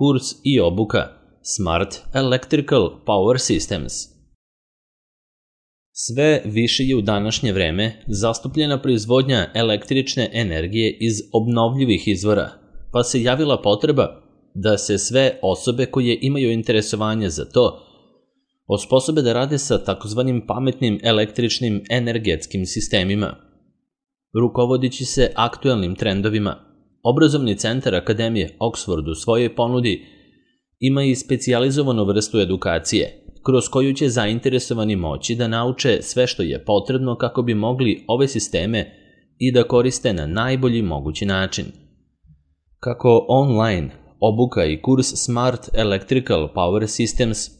kurs i obuka Smart Electrical Power Systems. Sve više je u današnje vreme zastupljena proizvodnja električne energije iz obnovljivih izvora, pa se javila potreba da se sve osobe koje imaju interesovanje za to osposobe da rade sa takozvanim pametnim električnim energetskim sistemima. Rukovodići se aktuelnim trendovima, Obrazovni centar Akademije Oxford u svojoj ponudi ima i specijalizovanu vrstu edukacije, kroz koju će zainteresovani moći da nauče sve što je potrebno kako bi mogli ove sisteme i da koriste na najbolji mogući način. Kako online obuka i kurs Smart Electrical Power Systems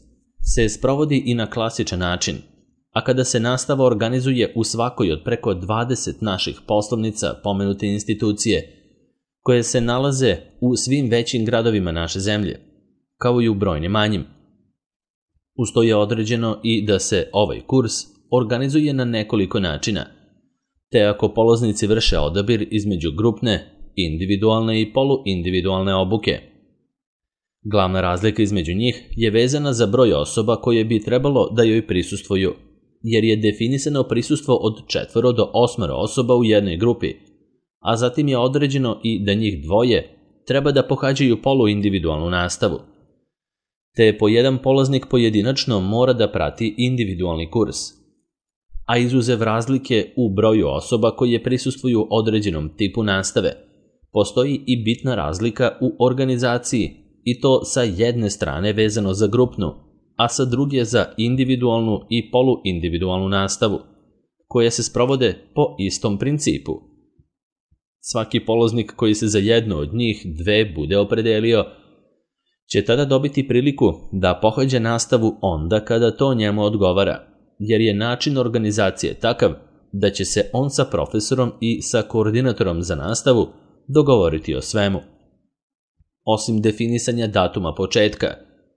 se sprovodi i na klasičan način, a kada se nastava organizuje u svakoj od preko 20 naših poslovnica pomenute institucije, koje se nalaze u svim većim gradovima naše zemlje, kao i u brojnim manjim. Uz to je određeno i da se ovaj kurs organizuje na nekoliko načina, te ako polaznici vrše odabir između grupne, individualne i poluindividualne obuke. Glavna razlika između njih je vezana za broj osoba koje bi trebalo da joj prisustvuju, jer je definisano prisustvo od 4 do 8 osoba u jednoj grupi, a zatim je određeno i da njih dvoje treba da pohađaju poluindividualnu nastavu, te po jedan polaznik pojedinačno mora da prati individualni kurs. A izuzev razlike u broju osoba koje prisustvuju određenom tipu nastave, postoji i bitna razlika u organizaciji, i to sa jedne strane vezano za grupnu, a sa druge za individualnu i poluindividualnu nastavu, koje se sprovode po istom principu. Svaki polaznik koji se za jednu od njih dve bude opredelio će tada dobiti priliku da pohađa nastavu onda kada to njemu odgovara, jer je način organizacije takav da će se on sa profesorom i sa koordinatorom za nastavu dogovoriti o svemu. Osim definisanja datuma početka,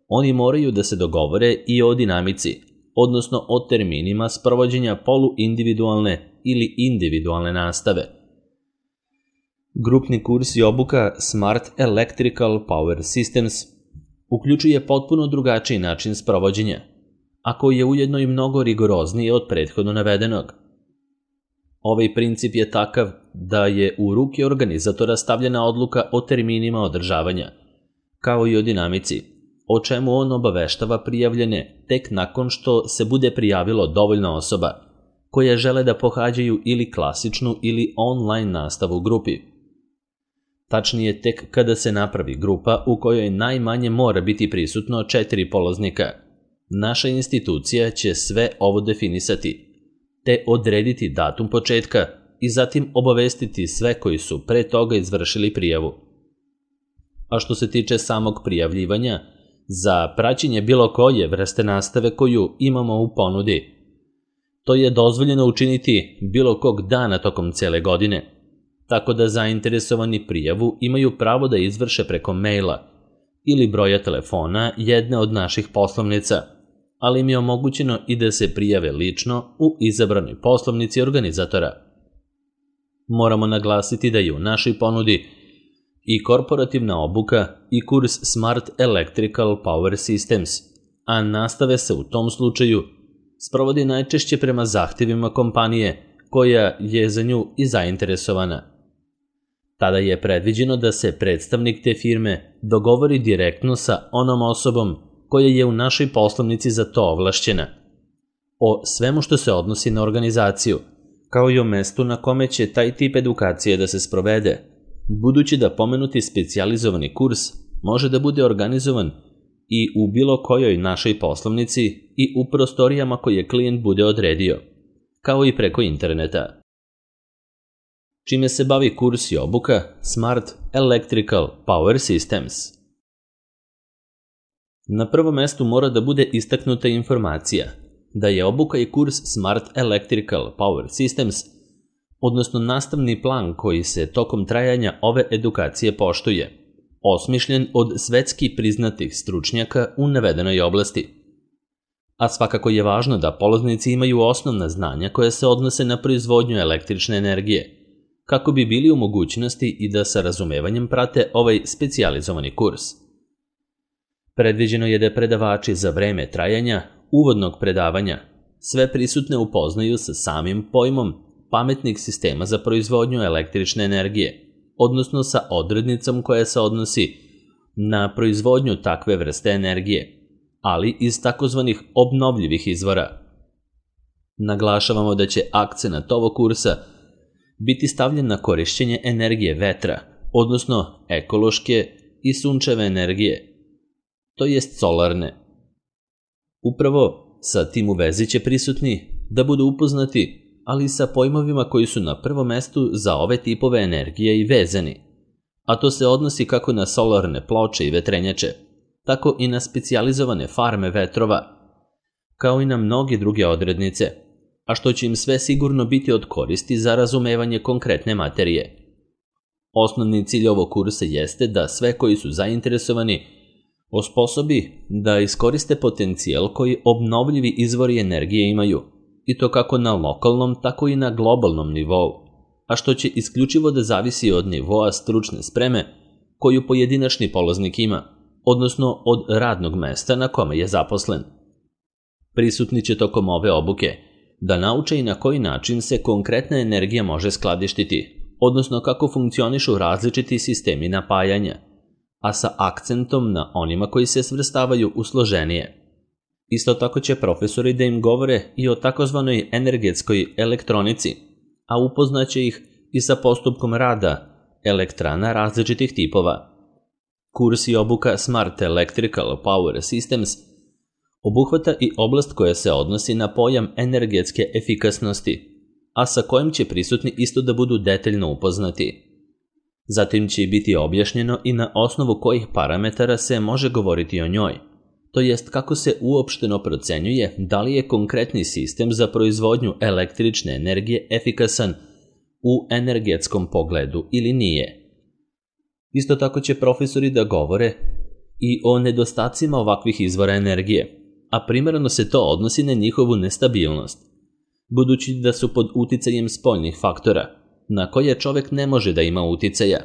oni moraju da se dogovore i o dinamici, odnosno o terminima sprovođenja poluindividualne ili individualne nastave. Grupni kurs i obuka Smart Electrical Power Systems uključuje potpuno drugačiji način sprovođenja, a koji je ujedno i mnogo rigorozniji od prethodno navedenog. Ovaj princip je takav da je u ruke organizatora stavljena odluka o terminima održavanja, kao i o dinamici, o čemu on obaveštava prijavljene tek nakon što se bude prijavilo dovoljno osoba koje žele da pohađaju ili klasičnu ili online nastavu u grupi. Tačnije, tek kada se napravi grupa u kojoj najmanje mora biti prisutno 4 polaznika, naša institucija će sve ovo definisati, te odrediti datum početka i zatim obavestiti sve koji su pre toga izvršili prijavu. A što se tiče samog prijavljivanja, za praćenje bilo koje vrste nastave koju imamo u ponudi, to je dozvoljeno učiniti bilo kog dana tokom cele godine, tako da zainteresovani prijavu imaju pravo da izvrše preko maila ili broja telefona jedne od naših poslovnica, ali im je omogućeno i da se prijave lično u izabranoj poslovnici organizatora. Moramo naglasiti da je u našoj ponudi i korporativna obuka i kurs Smart Electrical Power Systems, a nastave se u tom slučaju sprovodi najčešće prema zahtevima kompanije koja je za nju i zainteresovana. Tada je predviđeno da se predstavnik te firme dogovori direktno sa onom osobom koja je u našoj poslovnici za to ovlašćena, o svemu što se odnosi na organizaciju, kao i o mestu na kome će taj tip edukacije da se sprovede, budući da pomenuti specijalizovani kurs može da bude organizovan i u bilo kojoj našoj poslovnici i u prostorijama koje klijent bude odredio, kao i preko interneta. Čime se bavi kurs i obuka Smart Electrical Power Systems? Na prvom mestu mora da bude istaknuta informacija da je obuka i kurs Smart Electrical Power Systems, odnosno nastavni plan koji se tokom trajanja ove edukacije poštuje, osmišljen od svetski priznatih stručnjaka u navedenoj oblasti. A svakako je važno da polaznici imaju osnovna znanja koja se odnose na proizvodnju električne energije, kako bi bili u mogućnosti i da sa razumevanjem prate ovaj specijalizovani kurs. Predviđeno je da predavači za vreme trajanja uvodnog predavanja sve prisutne upoznaju sa samim pojmom pametnih sistema za proizvodnju električne energije, odnosno sa odrednicom koja se odnosi na proizvodnju takve vrste energije, ali iz takozvanih obnovljivih izvora. Naglašavamo da će akcenat ovog kursa biti stavljen na korišćenje energije vetra, odnosno ekološke i sunčeve energije, to jest solarne. Upravo sa tim u vezi će prisutni da budu upoznati, ali i sa pojmovima koji su na prvom mestu za ove tipove energije i vezani, a to se odnosi kako na solarne ploče i vetrenjače, tako i na specijalizovane farme vetrova, kao i na mnoge druge odrednice, a što će im sve sigurno biti od koristi za razumevanje konkretne materije. Osnovni cilj ovog kursa jeste da sve koji su zainteresovani osposobi da iskoriste potencijal koji obnovljivi izvori energije imaju, i to kako na lokalnom, tako i na globalnom nivou, a što će isključivo da zavisi od nivoa stručne spreme koju pojedinačni polaznik ima, odnosno od radnog mesta na kome je zaposlen. Prisutni će tokom ove obuke da nauče i na koji način se konkretna energija može skladištiti, odnosno kako funkcionišu različiti sistemi napajanja, a sa akcentom na onima koji se svrstavaju u složenije. Isto tako će profesori da im govore i o takozvanoj energetskoj elektronici, a upoznaće ih i sa postupkom rada elektrana različitih tipova. Kurs i obuka Smart Electrical Power Systems obuhvata i oblast koja se odnosi na pojam energetske efikasnosti, a sa kojim će prisutni isto da budu detaljno upoznati. Zatim će biti objašnjeno i na osnovu kojih parametara se može govoriti o njoj, to jest kako se uopšteno procenjuje da li je konkretni sistem za proizvodnju električne energije efikasan u energetskom pogledu ili nije. Isto tako će profesori da govore i o nedostacima ovakvih izvora energije, a primarno se to odnosi na njihovu nestabilnost, budući da su pod uticajem spoljnih faktora, na koje čovek ne može da ima uticaja,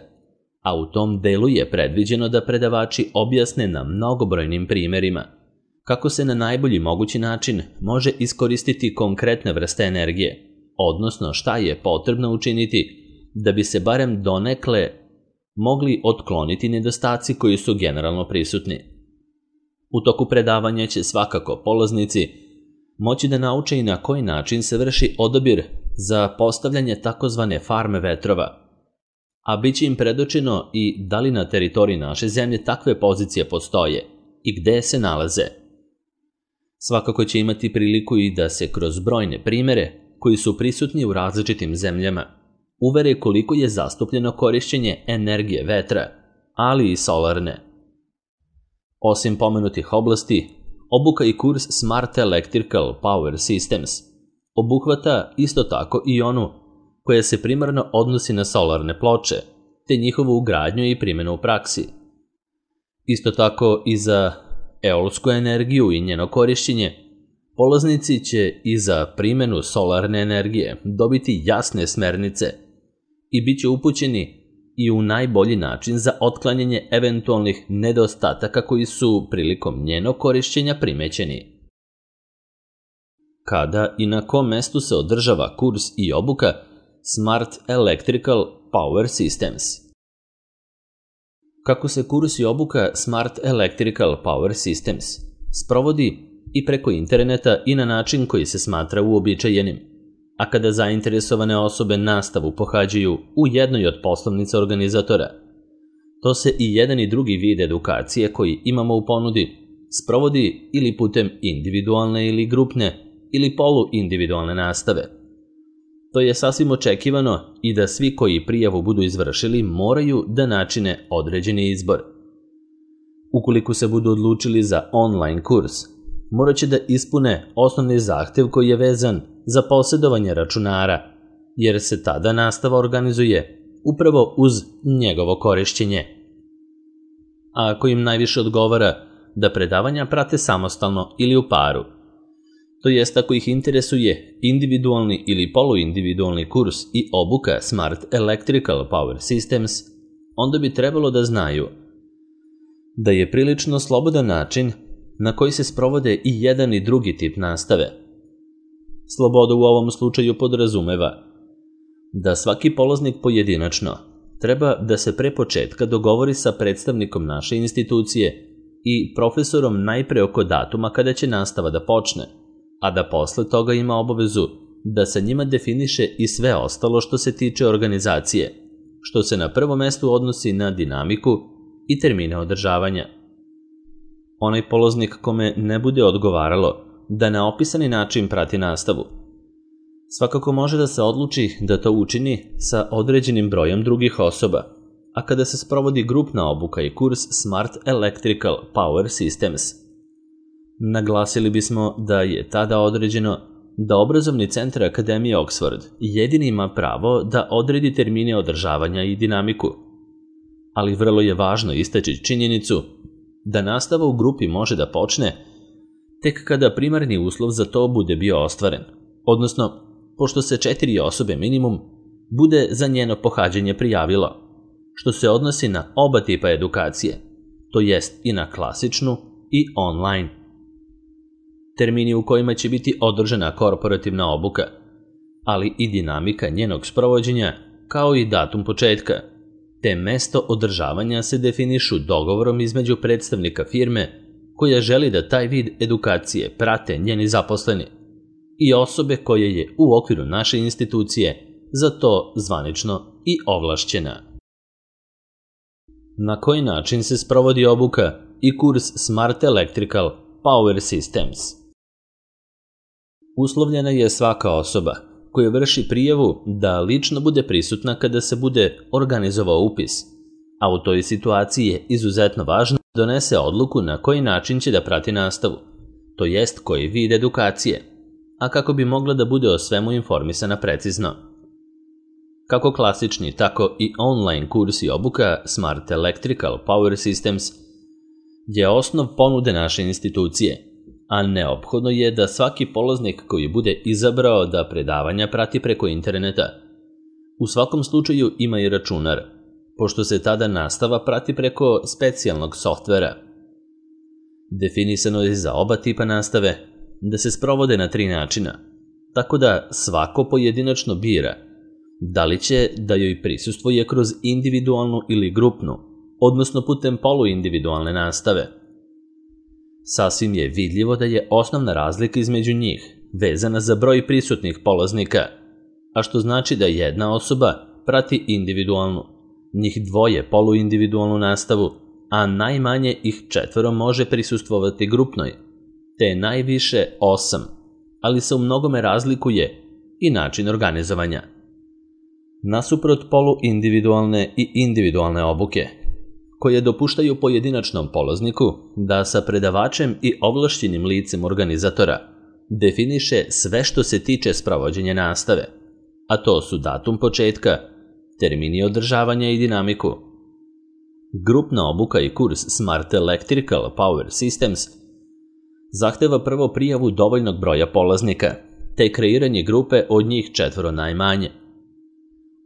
a u tom delu je predviđeno da predavači objasne na mnogobrojnim primerima kako se na najbolji mogući način može iskoristiti konkretne vrste energije, odnosno šta je potrebno učiniti da bi se barem donekle mogli otkloniti nedostaci koji su generalno prisutni. U toku predavanja će svakako polaznici moći da nauče i na koji način se vrši odabir za postavljanje takozvane farme vetrova, a bit će im predočeno i da li na teritoriji naše zemlje takve pozicije postoje i gde se nalaze. Svakako će imati priliku i da se kroz brojne primere koji su prisutni u različitim zemljama uvere koliko je zastupljeno korišćenje energije vetra, ali i solarne. Osim pomenutih oblasti, obuka i kurs Smart Electrical Power Systems obuhvata isto tako i onu koja se primarno odnosi na solarne ploče, te njihovu ugradnju i primjenu u praksi. Isto tako i za eolsku energiju i njeno korišćenje, polaznici će i za primjenu solarne energije dobiti jasne smernice i bit će upućeni i u najbolji način za otklanjanje eventualnih nedostataka koji su prilikom njenog korišćenja primećeni. Kada i na kom mestu se održava kurs i obuka Smart Electrical Power Systems? Kako se kurs i obuka Smart Electrical Power Systems sprovodi i preko interneta i na način koji se smatra uobičajenim, a kada zainteresovane osobe nastavu pohađaju u jednoj od poslovnica organizatora, to se i jedan i drugi vid edukacije koji imamo u ponudi sprovodi ili putem individualne ili grupne ili poluindividualne nastave. To je sasvim očekivano i da svi koji prijavu budu izvršili moraju da načine određeni izbor. Ukoliko se budu odlučili za online kurs, morat će da ispune osnovni zahtev koji je vezan za posjedovanje računara, jer se tada nastava organizuje upravo uz njegovo korišćenje. A ako im najviše odgovara da predavanja prate samostalno ili u paru, to jest ako ih interesuje individualni ili poluindividualni kurs i obuka Smart Electrical Power Systems, onda bi trebalo da znaju da je prilično slobodan način na koji se sprovode i jedan i drugi tip nastave. Sloboda u ovom slučaju podrazumeva da svaki polaznik pojedinačno treba da se pre početka dogovori sa predstavnikom naše institucije i profesorom najpre oko datuma kada će nastava da počne, a da posle toga ima obavezu da sa njima definiše i sve ostalo što se tiče organizacije, što se na prvom mestu odnosi na dinamiku i termine održavanja. Onaj polaznik kome ne bude odgovaralo da na opisani način prati nastavu, svakako može da se odluči da to učini sa određenim brojem drugih osoba, a kada se sprovodi grupna obuka i kurs Smart Electrical Power Systems. Naglasili bismo da je tada određeno da obrazovni centar Akademije Oxford jedini ima pravo da odredi termine održavanja i dinamiku, ali vrlo je važno istaći činjenicu da nastava u grupi može da počne tek kada primarni uslov za to bude bio ostvaren, odnosno pošto se 4 osobe minimum bude za njeno pohađanje prijavilo, što se odnosi na oba tipa edukacije, to jest i na klasičnu i online. Termini u kojima će biti održana korporativna obuka, ali i dinamika njenog sprovođenja, kao i datum početka, te mesto održavanja se definišu dogovorom između predstavnika firme koja želi da taj vid edukacije prate njeni zaposleni i osobe koje je u okviru naše institucije za to zvanično i ovlašćena. Na koji način se sprovodi obuka i kurs Smart Electrical Power Systems? Uslovljena je svaka osoba koja vrši prijavu da lično bude prisutna kada se bude organizovao upis, a u toj situaciji je izuzetno važno da donese odluku na koji način će da prati nastavu, to jest koji vid edukacije, a kako bi mogla da bude o svemu informisana precizno. Kako klasični, tako i online kurs i obuka Smart Electrical Power Systems je osnov ponude naše institucije, a neophodno je da svaki polaznik koji bude izabrao da predavanja prati preko interneta u svakom slučaju ima i računar, pošto se tada nastava prati preko specijalnog softvera. Definisano je za oba tipa nastave da se sprovode na 3 načina, tako da svako pojedinačno bira da li će da joj prisustvuje kroz individualnu ili grupnu, odnosno putem poluindividualne nastave. Sasvim je vidljivo da je osnovna razlika između njih vezana za broj prisutnih polaznika, a što znači da jedna osoba prati individualnu, njih 2 poluindividualnu nastavu, a najmanje ih 4 može prisustvovati grupnoj, te najviše 8, ali se u mnogome razlikuje i način organizovanja. Nasuprot poluindividualne i individualne obuke, koje dopuštaju pojedinačnom polazniku da sa predavačem i ovlašćenim licem organizatora definiše sve što se tiče sprovođenja nastave, a to su datum početka, termini održavanja i dinamiku. Grupna obuka i kurs Smart Electrical Power Systems zahteva prvo prijavu dovoljnog broja polaznika, te kreiranje grupe od njih 4 najmanje.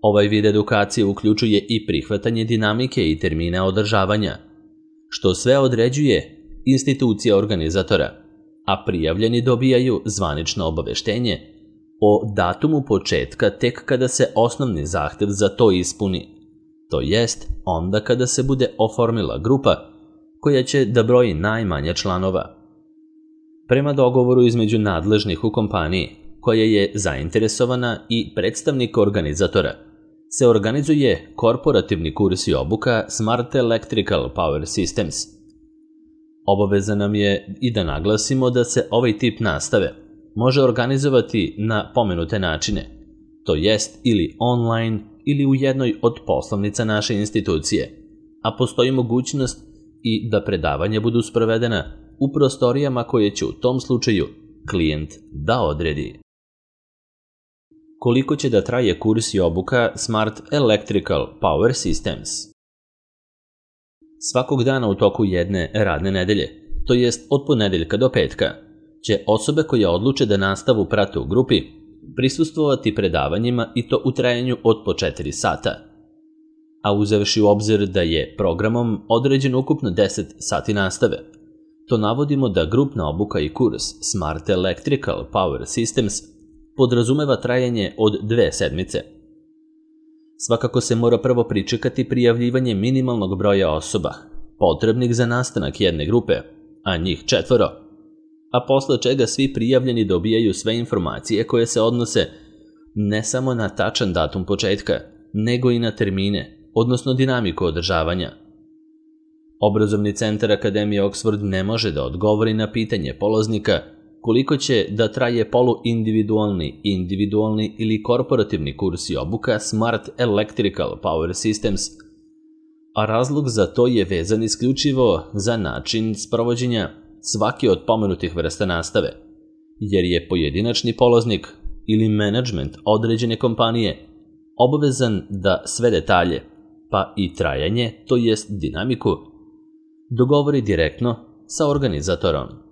Ovaj vid edukacije uključuje i prihvatanje dinamike i termina održavanja, što sve određuje institucija organizatora, a prijavljeni dobijaju zvanično obaveštenje o datumu početka tek kada se osnovni zahtev za to ispuni, to jest onda kada se bude oformila grupa koja će da broji najmanje članova. Prema dogovoru između nadležnih u kompaniji, koja je zainteresovana i predstavnika organizatora, se organizuje korporativni kurs i obuka Smart Electrical Power Systems. Obaveza nam je i da naglasimo da se ovaj tip nastave može organizovati na pomenute načine, to jest ili online ili u jednoj od poslovnica naše institucije, a postoji mogućnost i da predavanja budu sprovedena u prostorijama koje će u tom slučaju klijent da odredi. Koliko će da traje kurs i obuka Smart Electrical Power Systems? Svakog dana u toku jedne radne nedelje, to jest od ponedeljka do petka, će osobe koje odluče da nastavu prate u grupi prisustvovati predavanjima i to u trajanju od po 4 sata. a uzevši u obzir da je programom određeno ukupno 10 sati nastave. To navodimo da grupna obuka i kurs Smart Electrical Power Systems podrazumeva trajanje od 2 sedmice. Svakako se mora prvo pričekati prijavljivanje minimalnog broja osoba, potrebnih za nastanak jedne grupe, a njih 4, a posle čega svi prijavljeni dobijaju sve informacije koje se odnose ne samo na tačan datum početka, nego i na termine, odnosno dinamiku održavanja. Obrazovni centar Akademije Oxford ne može da odgovori na pitanje polaznika koliko će da traje poluindividualni, individualni ili korporativni kurs i obuka Smart Electrical Power Systems, a razlog za to je vezan isključivo za način sprovođenja svake od pomenutih vrsta nastave, jer je pojedinačni polaznik ili menadžment određene kompanije obavezan da sve detalje, pa i trajanje, to jest dinamiku, dogovori direktno sa organizatorom.